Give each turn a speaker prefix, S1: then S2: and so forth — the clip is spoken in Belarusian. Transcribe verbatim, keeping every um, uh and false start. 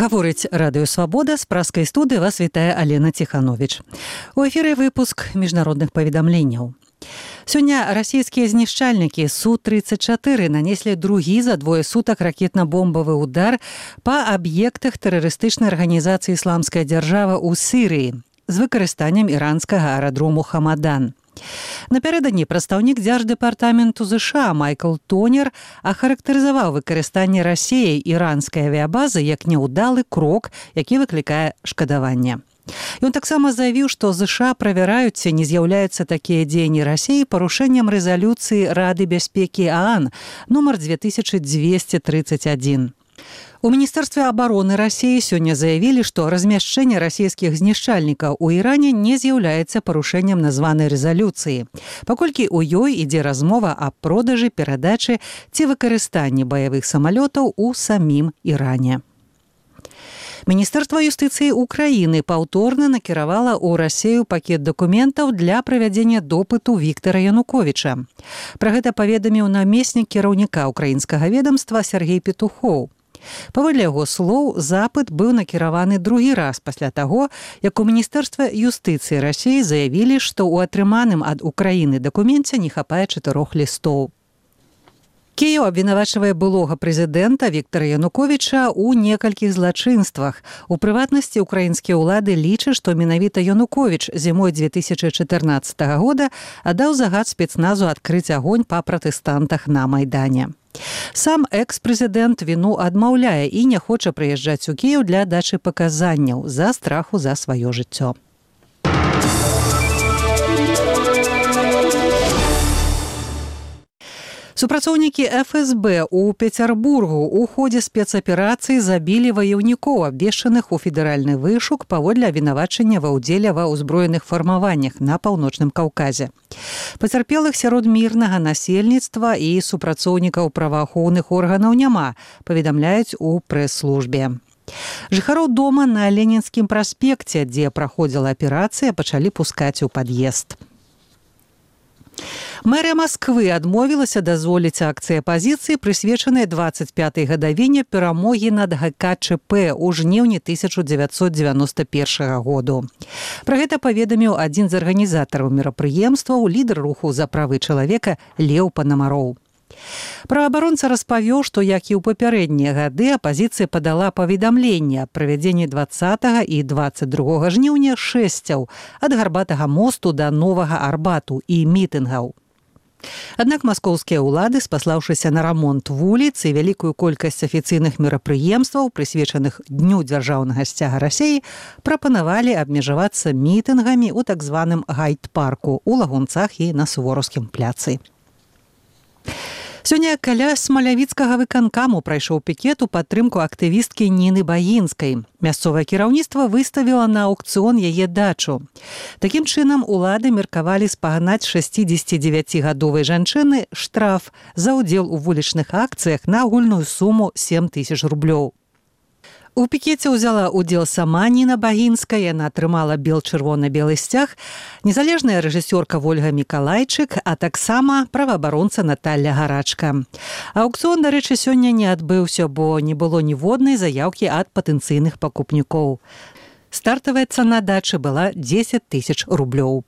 S1: Гаворыць радыё «Свабода», з праскай студыі вас вітае Алена Ціхановіч. У эфіры выпуск міжнародных паведамленняў. Сёння расійскія знішчальнікі Су тридцать четыре нанеслі другі за двое сутак ракетна-бомбавы удар па аб'ектах тэрарыстычнай арганізацыі «Ісламская дзяржава» ў Сірыі з выкарыстаннем іранскага аэрадрому «Хамадан». Напярэдадні прадстаўнік дзярждэпартаменту ЗША Майкл Тонер ахарактарызаваў выкарыстанне Расіяй іранскай авіябазы як няўдалы крок, які выклікае шкадаванне. Ён таксама заявіў, што ЗША правяраюць, ці не з'яўляюцца такія дзеянні Расіі парушэннем рэзалюцыі Рады бяспекі ААН нумар две тысячи двести тридцать один. У Міністэрстве абароны Расіі сёння заявілі, што размяшчэнне расійскіх знішчальнікаў у Іране не з'яўляецца парушэннем названай рэзалюцыі, паколькі ў ёй ідзе размова аб продажы, перадачы ці выкарыстанні баявых самалётаў у самім Іране. Міністэрства юстыцыі Украіны паўторна накіравала ў Расію пакет дакументаў для правядзення допыту Віктара Януковіча. Пра гэта паведаміў намеснік кіраўніка украінскага ведамства Сергей Петухоў. Паводле яго слоў, запыт быў накіраваны другі раз пасля таго, як у Міністэрства юстыцыі Расіі заявілі, што ў атрыманым ад Украіны дакуменце не хапае чатырох лістоў. Кіеў абвінавачвае былога прэзідэнта Віктара Януковіча ў некалькіх злачынствах. У прыватнасці, украінскія ўлады лічаць, што менавіта Януковіч зімой две тысячи чатырнаццатага года аддаў загад спецназу адкрыць агонь па пратэстантах на Майдане. Сам экс-прэзідэнт віну адмаўляе і не хоча прыязджаць у Кіеў для дачы паказанняў з-за страху за сваё жыццё. Супрацоўнікі эф эс бэ ў Пецярбургу ў ходзе спецаперацыі забілі ваяўнікоў, абвешчаных у федэральны вышук паводле абвінавачання ва ўдзеле ва ўзброеных фармаваннях на паўночным Каўказе. Пацярпелых сярод мірнага насельніцтва і супрацоўнікаў праваахоўных органаў няма, паведамляюць у прэс-службе. Жыхароў дома на Ленінскім праспекце, дзе праходзіла аперацыя, пачалі пускаць у пад'езд. Мэрыя Масквы адмовілася дазволіць акцыі апазіцыі, прысвечанай дваццаць пятай гадавіне перамогі над гэ ка чэ пэ ў жніўні тысяча дзевяцьсот дзевяноста першага году. Пра гэта паведаміў адзін з арганізатараў мерапрыемстваў, лідар руху за правы чалавека Леў Панамароў. Праваабаронца распавёў, што, як і ў папярэднія гады, апазіцыя падала паведамленне аб правядзенні дваццатага і дваццаць другога жніўня шэсцяў ад Гарбатага мосту да Новага Арбату і мітынгаў. Аднак маскоўскія ўлады, спаслаўшыся на рамонт вуліц і вялікую колькасць афіцыйных мерапрыемстваў, прысвечаных Дню дзяржаўнага сцяга Расіі, прапанавалі абмежавацца мітынгамі ў так званым гайд-парку ў Лагунцах і на Сувораўскім пляцы. Сёння каля смалявіцкага выканкаму прайшоў пікет у падтрымку актывісткі Ніны Багінскай. Мясцовае кіраўніцтва выставіла на аўкцыён яе дачу. Такім чынам, улады меркавалі спагнаць шэсцідзесяцідзевяцігадовай жанчыны штраф за ўдзел у вулічных акцыях на агульную суму сем тысяч рублёў. У пікеце ўзяла ўдзел сама Ніна Багінская, яна атрымала бел-чырвона-белы сцяг, незалежная рэжысёрка Вольга Мікалайчык, а таксама праваабаронца Наталля Гарачка. Аўкцыён, дарэчы, сёння не адбыўся, бо не было ніводнай заяўкі ад патэнцыйных пакупнікоў. Стартавая цана дачы была дзесяць тысяч рублёў.